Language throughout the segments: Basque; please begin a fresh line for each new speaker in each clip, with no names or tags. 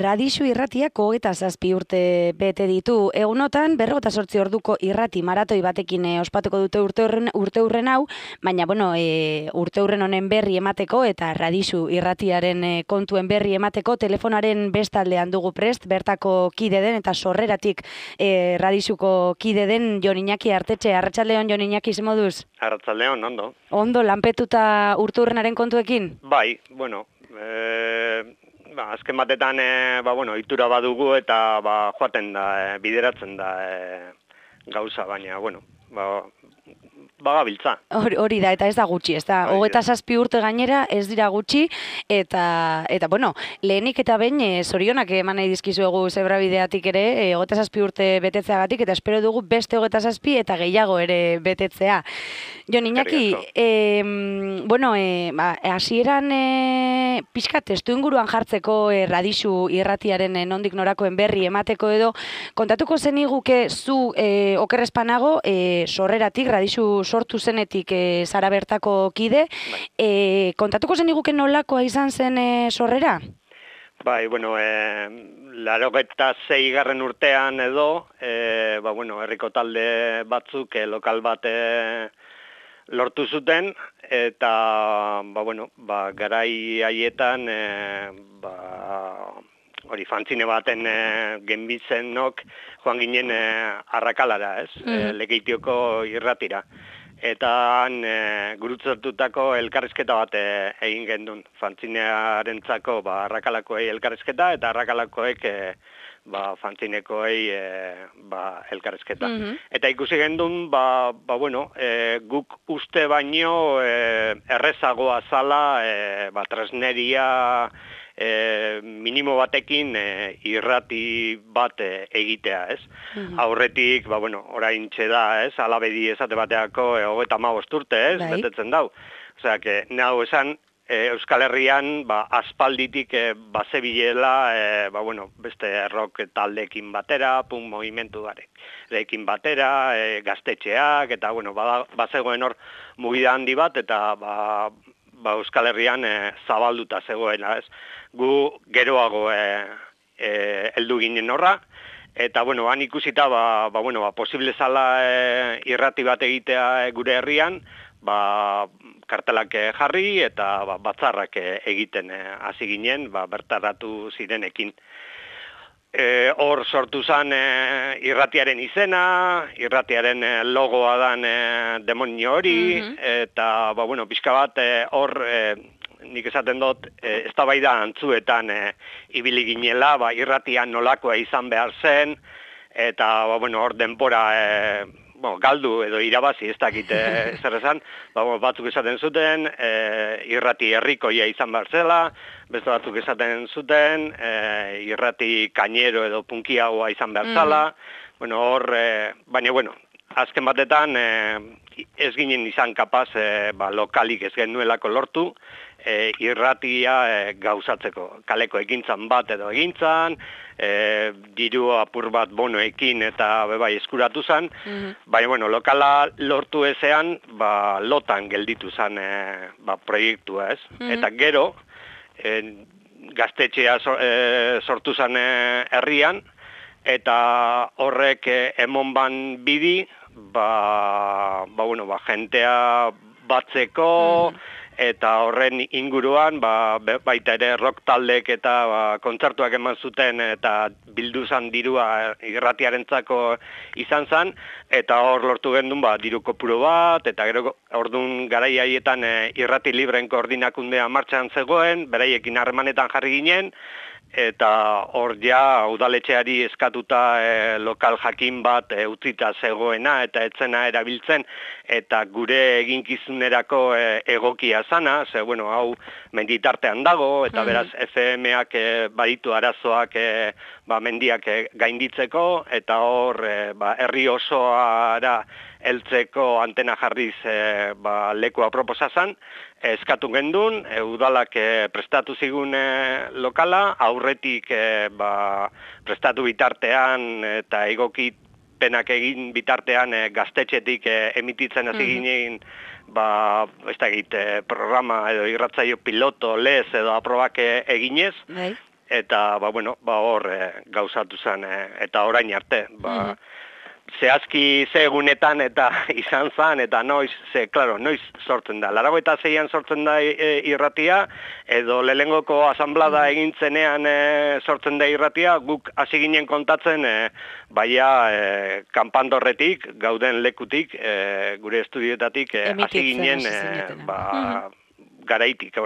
Radixu irratiak 27 urte bete ditu. Egunotan 48 orduko irrati maratoi batekin ospatuko dute urteurren hau, baina urteurren honen berri emateko eta Radixu irratiaren kontuen berri emateko telefonaren bestaldean dugu prest, bertako kide den eta sorreratik Radixuko kide den Jon Iñaki Artetxe. Arratsaldeon, Jon Iñaki, ze moduz?
Arratsaldeon, ondo.
Ondo, lanpetuta urteurrenaren kontuekin?
Bai, azken batetan, itura badugu eta joaten da, bideratzen da gauza, baina, bagabiltza.
Hori da, eta ez da gutxi, ez da, 27 urte gainera ez dira gutxi, eta lehenik eta behin zorionak eman nahi dizkizuegu zebrabideatik ere, 27 urte betetzeagatik, eta espero dugu beste 27 eta gehiago ere betetzea. Jon Iñaki, hasieran pixka testu inguruan jartzeko Radixu irratiaren nondik norakoen berri emateko edo, kontatuko zeniguke zu okerrezpanago sorreratik, Radixu sortu zenetik zara bertako kide, kontatuko zeniguke nolakoa izan zen sorrera?
Bai, 86. urtean edo, herriko talde batzuk lokal bat lortu zuten, eta, garai haietan, fantzine baten genbizenok joan ginen Arrakalara, Lekeitioko irratira. Eta han gurutzatutako elkarrizketa bat egin gendun. Fantzinearentzako Arrakalakoei elkarrizketa eta Arrakalakoek fantzinekoei elkarrizketa. Eta ikusi gendun, guk uste baino errezagoa zala tresneria minimo batekin irrati bat egitea, ez? Aurretik, oraintxe da, ez? Alabedi esate bateako 35 urte, ez? Betetzen dau. Osea, nau esan, Euskal Herrian aspalditik bazebilela, beste rock taldeekin batera, punk movimentu garekin batera, gaztetxeak, eta, bazegoen hor mugida handi bat, eta Euskal Herrian zabalduta zegoena, ez? Gu geroago heldu ginen horra, eta, han ikusita, posible zala irrati bat egitea gure herrian, kartelak jarri eta batzarrak egiten hasi ginen, bertaratu zirenekin. Hor sortu zen irratiaren izena, irratiaren logoa dan demonio hori, eta, pixka bat hor, nik esaten dut, eztabaida antzuetan ibili ginela, irratian nolakoa izan behar zen, eta, hor denbora galdu edo irabazi ez dakit zer esan, batzuk esaten zuten, irrati herrikoia izan behar zela, beste batzuk esaten zuten, irrati kainero edo punkiagoa izan behar zela, baina, azken batetan ez ginen izan kapaz lokalik ez genuelako lortu, irratia gauzatzeko. Kaleko egintzan bat edo egintzan, diru apur bat bonoekin eta eskuratu zen, baina lokala lortu ezean, lotan gelditu zen proiektua, ez? Eta gero, gaztetxea sortu zen herrian, eta horrek emon ban bidi, jentea batzeko, eta horren inguruan, baita ere rock taldek eta kontzertuak eman zuten eta bildu zan dirua irratiarentzako izan zan, eta hor lortu gendun diru kopuru bat, eta gero orduan garai haietan irrati libren koordinakundea martxan zegoen, beraiekin harremanetan jarri ginen, eta hor ja udaletxeari eskatuta lokal jakin bat utzita zegoena eta etzena erabiltzen eta gure eginkizunerako egokia zana, hau menditartean dago eta beraz FM-ak baditu arazoak mendiak gainditzeko eta hor herri osoara heltzeko antena jarriz leku aproposa zan, eskatu gendun, udalak prestatu zigun lokala, aurretik prestatu bitartean eta egokipenak egin bitartean gaztetxetik emititzen hasi ginen, programa edo irratzaio piloto, lez edo aprobak eginez, eta hor gauzatu zen, eta orain arte, zehazki ze egunetan eta izan zen, eta noiz sortzen da. 86an sortzen da irratia, edo lehengoko asanblada egintzenean sortzen da irratia, guk hasi ginen kontatzen, baia kanpandorretik, gauden lekutik, gure estudioetatik, hasi ginen, garaitik,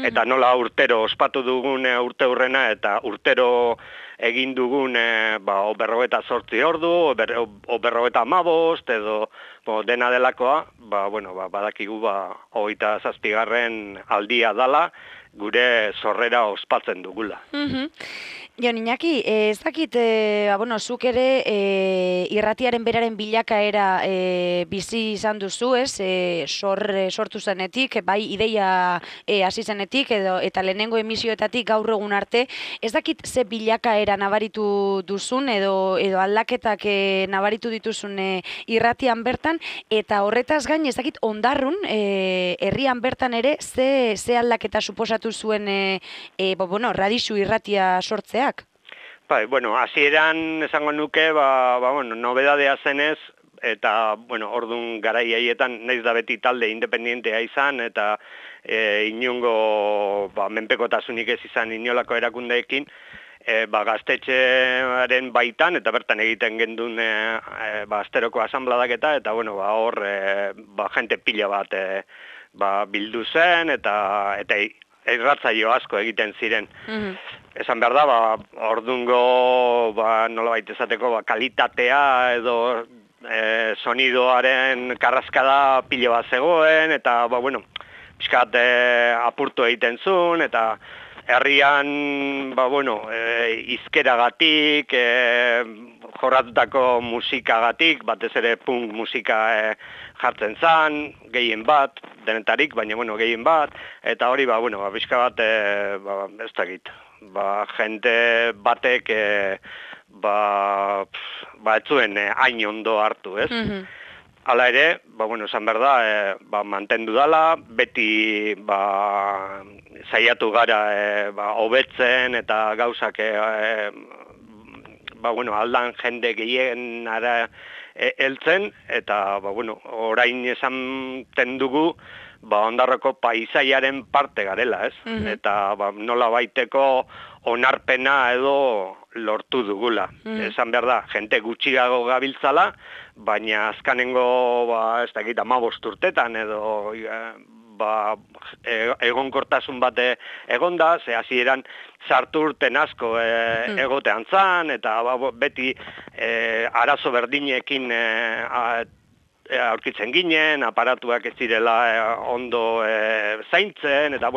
eta nola urtero ospatu dugun urte hurrena, eta urtero egin dugun 58 ordu, 55, edo dena delakoa, badakigu 27. aldia dala, gure sorrera ospatzen dugula.
Jon Iñaki, ez dakit, zuk ere irratiaren beraren bilakaera bizi izan duzu, ez? Sortu zenetik, bai ideia hasi zenetik, eta lehenengo emisioetatik gaur egun arte, ez dakit ze bilakaera nabaritu duzun, edo aldaketak nabaritu dituzun irratian bertan, eta horretaz gain, ez dakit ondarrun, herrian bertan ere, ze aldaketa suposatu zuen Radixu irratia sortzea?
Bai, hasieran esango nuke, nobedadea zenez, eta, orduan garai haietan, naiz da beti talde independientea izan, eta inongo menpekotasunik ez izan inolako erakundeekin, gaztetxearen baitan, eta bertan egiten gendun asteroko asanbladaketa, eta, hor, jente pila bat bildu zen, eta irratzaio asko egiten ziren. Esan behar da, ordungo, nolabait esateko, kalitatea edo sonidoaren karraskada pilo bat zegoen, eta, pixkat apurtu egiten zuen, eta herrian, izkeragatik, jorratutako musikagatik, batez ere punk musika jartzen zan, gehien bat, denetarik, baina gehien bat, eta hori, pixka bat, ez dakit, jente batek, ez zuen hain ondo hartu, ez? Hala ere, esan behar da, mantendu dala, beti saiatu gara hobetzen eta gauzak aldan jende gehienara heltzen, eta orain esan dugu Ondarroko paisaiaren parte garela, ez? Eta nola baiteko onarpena edo lortu dugula. Esan behar da, jente gutxiago gabiltzala, baina azkanengo, ez dakit, 15 urtetan edo egonkortasun bate egonda, ze hasieran sartu urten asko egotean zan, eta beti arazo berdinekin aurkitzen ginen, aparatuak ez direla ondo zaintzen, eta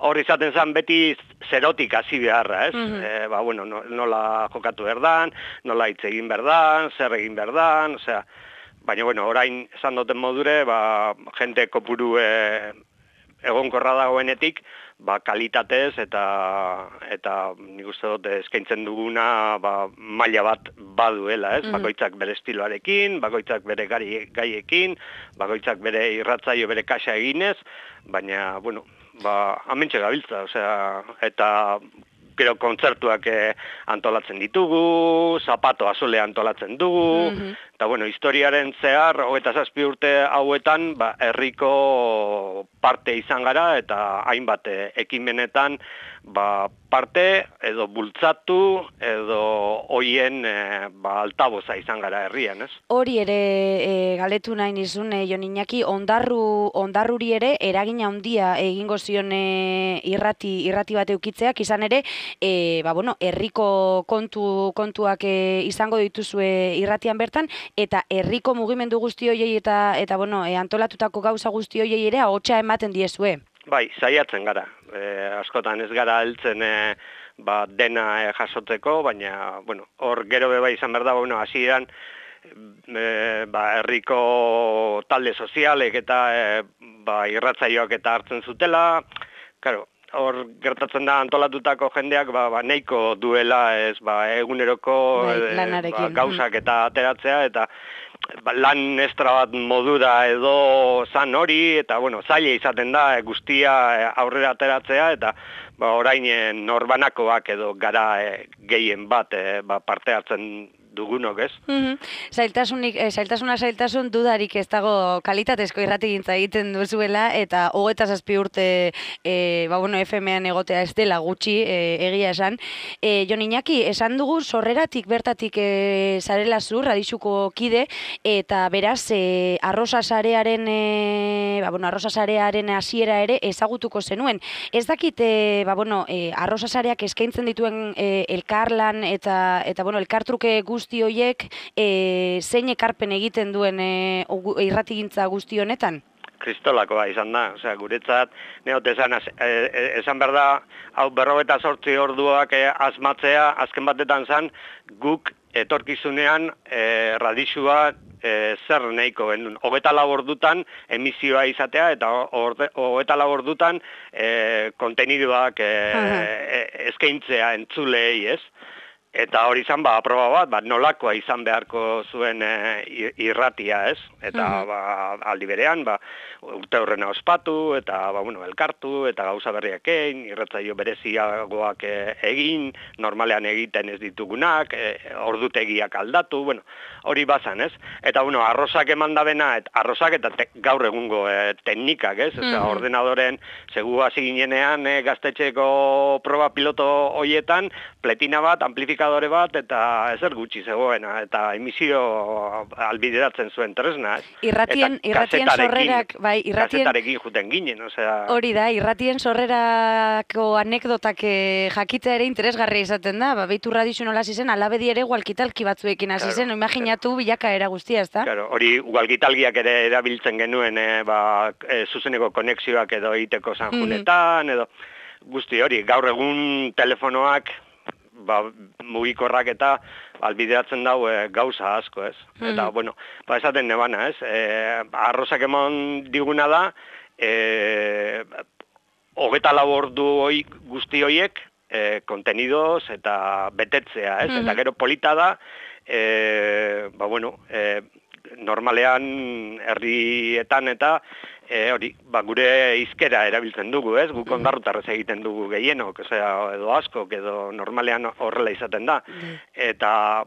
hor izaten zen beti zerotik hasi beharra, ez? Nola jokatu berdan, nola hitz egin berdan, zer egin berdan, osea, baina orain esan duten modure, jente kopuru egonkorra dagoenetik, kalitatez eta nik uste dut eskaintzen duguna maila bat baduela, ez? Bakoitzak bere estiloarekin, bakoitzak bere gaiekin, bakoitzak bere irratzaio bere kaxa eginez, baina, amentxe gabiltza, osea, eta gero kontzertuak antolatzen ditugu, zapato azule antolatzen dugu, eta historiaren zehar, 27 urte hauetan, herriko parte izan gara, eta hainbat ekimenetan parte edo bultzatu edo hoien altaboza izan gara herrian, ez?
Hori ere galetu nahi nizun, Jon Iñaki, ondarruri ere eragina handia egingo zion irrati bat eukitzeak, izan ere, herriko kontuak izango dituzue irratian bertan, eta herriko mugimendu guzti horiei eta antolatutako gauza guzti horiei ere ahotsa ematen diezue.
Bai, saiatzen gara. Askotan ez gara heltzen dena jasotzeko, baina, hor gero beba izan behar da, hasieran herriko talde sozialek eta irratzaioak eta hartzen zutela, claro, hor gertatzen da antolatutako jendeak nahiko duela ez eguneroko gauzak eta ateratzea, eta lan estra bat modura edo zan hori, eta zaila izaten da guztia aurrera ateratzea, eta orain norbanakoak edo gara gehien bat parte hartzen dugunok, ez?
Zailtasun dudarik ez dago kalitatezko irratigintza egiten duzuela, eta 27 urte FM-ean egotea ez dela gutxi, egia esan. Jon Iñaki, esan dugu sorreratik bertatik zarela zu, Radixuko kide, eta beraz, arrosa sarearen hasiera ere ezagutuko zenuen. Ez dakit, arrosa sareak eskaintzen dituen elkarlan eta elkartruke guzti horiek zein ekarpen egiten duen irratigintza guzti honetan?
Kristolakoa izan da, guretzat, neot esan behar da, hau 48 orduak asmatzea, azken batetan zan, guk etorkizunean Radixua zer nahiko genuen. 24 ordutan emisioa izatea, eta 24 ordutan konteniduak eskaintzea entzulei, ez? Eta hori izan, aproba bat, nolakoa izan beharko zuen irratia, ez? Eta aldi berean, urte horrena ospatu, eta elkartu, eta gauza berriak egin, irratzaio bereziagoak egin, normalean egiten ez ditugunak, ordutegiak aldatu, hori bazan, ez? Eta, arrosak eman dabena, arrosak eta gaur egungo teknikak, ez? Ordenadoren, segu hasi ginenean, gaztetxeko proba piloto hoietan, pletina bat, amplifikadore bat, eta ezer gutxi zegoena, eta emisio albideratzen zuen tresna, ez?
Irratien sorrerak, bai,
kasetarekin juten ginen,
hori da, irratien sorrerako anekdotak jakitea ere interesgarria izaten da, beitu Radixu nola zizen, alabedi ere walkitalki batzuekin hasi zen, imaginatu bilakaera guztia, ez da?
Claro, hori walkitalkiak ere erabiltzen genuen, zuzeneko konexioak edo egiteko sanjunetan, edo guzti hori, gaur egun telefonoak, mugikorrak eta albideratzen dau gauza asko, ez? Eta, esaten nebana, ez? Arrosak emon diguna da, 24 ordu guzti hoiek kontenidoz eta betetzea, ez? Eta gero polita da, normalean herrietan eta gure hizkera erabiltzen dugu, ez? Guk ondarrutarrez egiten dugu gehienok, edo askok, edo normalean horrela izaten da. Eta,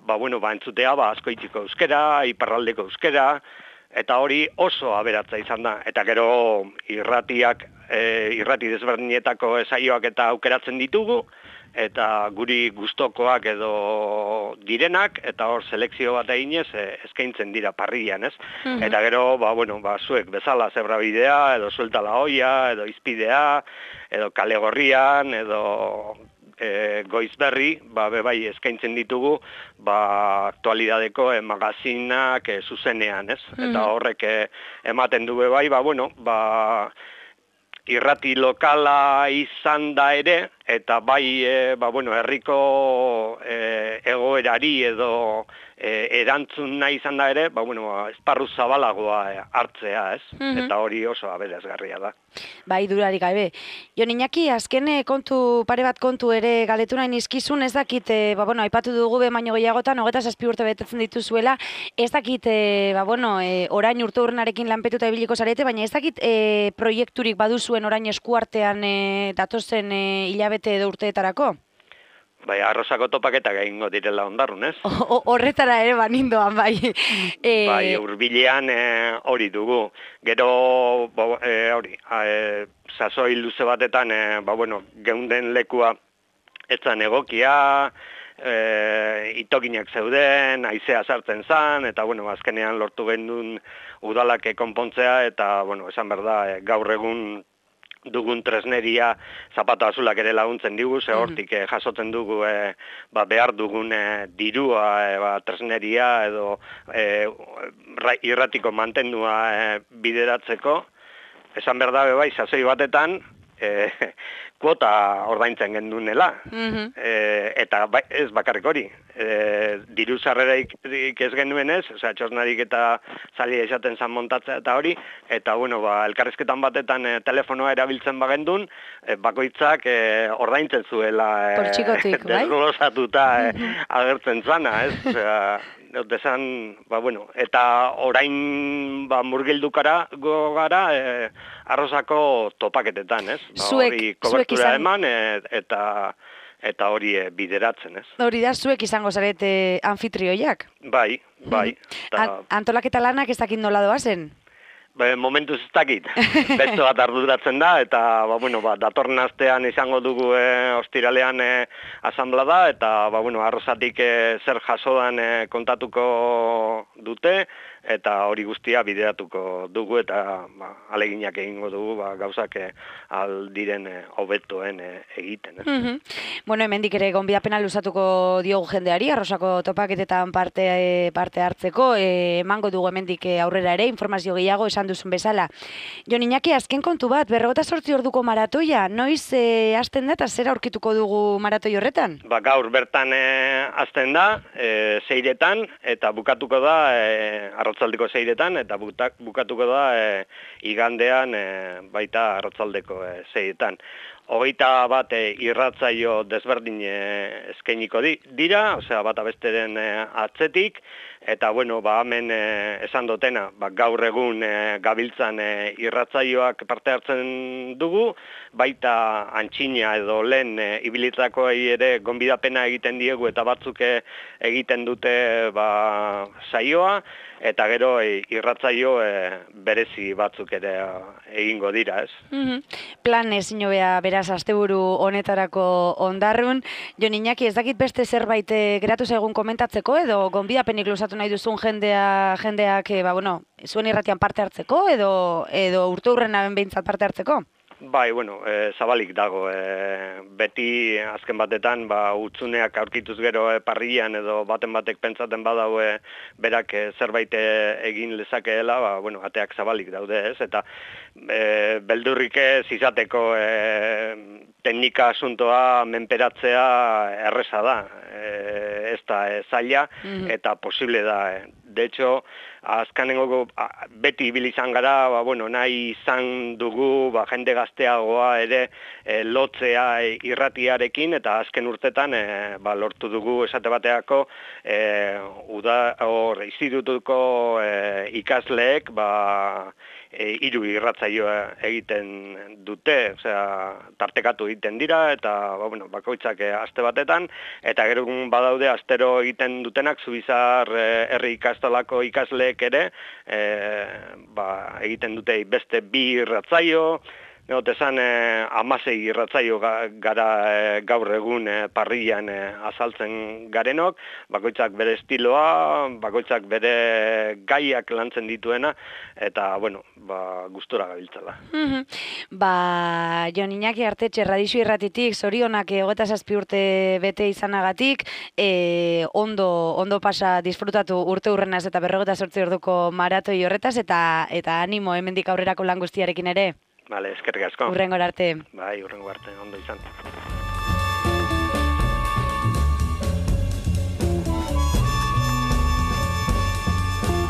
entzutea, asko itxiko euskera, iparraldeko euskera, eta hori oso aberatza izan da. Eta gero irrati desberdinetako saioak eta aukeratzen ditugu, eta guri gustokoak edo direnak, eta hor selekzio bat eginez eskaintzen dira parrillan, ez? Eta gero, zuek bezala zebrabidea, edo suelta la olla, edo izpidea, edo kale gorrian, edo goizberri, bebai eskaintzen ditugu, aktualidadeko magazinak zuzenean, ez? Eta horrek ematen du bebai, irrati lokala izan da ere, eta herriko egoerari edo erantzun nahi izan da ere, esparru zabalagoa hartzea, ez? Eta hori oso aberasgarria da.
Bai, durarik gabe. Jon Iñaki, azken pare bat kontu ere galdetu nahi nizkizun, ez dakit, aipatu dugu baino gehiagotan, 27 urte betetzen dituzuela, ez dakit, orain urte urrenarekin lanpetuta ibiliko zarete, baina ez dakit proiekturik baduzuen orain eskuartean datozen hilabete edo urteetarako?
Bai, arrosako topaketak egingo direla ondarrun, ez?
Horretara ere banindoan, bai.
Bai, hurbilean hori dugu. Gero, sasoi luze batetan, geunden lekua etzan egokia, itokinak zeuden, haizea sartzen zan, eta, azkenean lortu gendun udalak konpontzea, eta, esan behar da, gaur egun dugun tresneria zapato azulak ere laguntzen digu, ze hortik jasotzen dugu behar dugun dirua tresneria edo irratiko mantendua bideratzeko. Esan behar da bai, sasoi batetan kuota ordaintzen gendunela. Eta ez bakarrik hori. Diru sarreraik ez genuenez, txosnarik eta zalia esaten zan montatzea eta hori, eta elkarrizketan batetan telefonoa erabiltzen bagendun, bakoitzak ordaintzen zuela
desglosatuta
agertzen zana, ez? desan, eta orain murgildu gara arrozako topaketetan, ez? Hori kobertura eman eta hori bideratzen, ez?
Hori da, zuek izango zarete anfitrioiak?
Bai.
Antolaketa lanak ez dakit nola doazen?
Momentuz ez dakit. Beste bat arduratzen da, eta datorren astean izango dugu ostiralean asanblada, eta arrozatik zer jasodan kontatuko dute, eta hori guztia bideratuko dugu, eta aleginak egingo dugu gauzak aldiren hobetoen egiten.
Bueno, hemendik ere gonbidapena luzatuko diogu jendeari, arrozako topaketetan parte hartzeko, emango dugu hemendik aurrera ere, informazio gehiago esan duzun bezala. Jon Iñaki, azken kontu bat, 48 orduko maratoia, noiz hasten da eta zer aurkituko dugu maratoi horretan?
Gaur bertan hasten da, 6etan, eta bukatuko da, arratzaldeko 6etan, eta bukatuko da igandean baita arratzaldeko 6etan. 21 irratzaio desberdin eskainiko dira, osea bata besteren atzetik, eta hemen esan dutena, gaur egun gabiltzan irratzaioak parte hartzen dugu, baita antxina edo lehen ibilitakoei ere gonbidapena egiten diegu eta batzuk egiten dute saioa, eta gero irratzaio berezi batzuk ere egingo dira, ez?
Plan ezin hobea beraz asteburu honetarako ondarrun. Jon Iñaki, ez dakit beste zerbait geratu zaigun komentatzeko edo gonbidapenik luzatu nahi duzun jendeak zuen irratian parte hartzeko edo urteurrenaben behintzat parte hartzeko?
Bai, zabalik dago. Beti azken batetan utzuneak aurkituz gero parrian edo batek pentsaten badau berak zerbait egin lezakeela, ateak zabalik daude, ez? Eta beldurrik ez izateko teknika asuntoa menperatzea erreza da. Ez da zaila eta posible da. De hecho, azkanengo beti ibili izan gara, nahi izan dugu jende gazteagoa ere lotzea irratiarekin, eta azken urtetan lortu dugu esate bateako institutuko ikasleek 3 irratzaioa egiten dute, tartekatu egiten dira, eta bakoitzak aste batetan, eta gero badaude astero egiten dutenak Zubizar herri ikastolako ikasleek ere egiten dute beste 2 irratzaio, Esan 16 irratzaio gara gaur egun parrilan azaltzen garenok, bakoitzak bere estiloa, bakoitzak bere gaiak lantzen dituena, eta, gustora gabiltzala.
Jon Iñaki Artetxe, Radixu Irratitik, zorionak 27 urte bete izanagatik, ondo pasa disfrutatu urteurrenaz eta 48 orduko maratoi horretaz, eta animo hemendik aurrerako lan guztiarekin ere.
Bale, eskerrik asko.
Hurrengora arte.
Bai, hurrengo arte, ondo izan.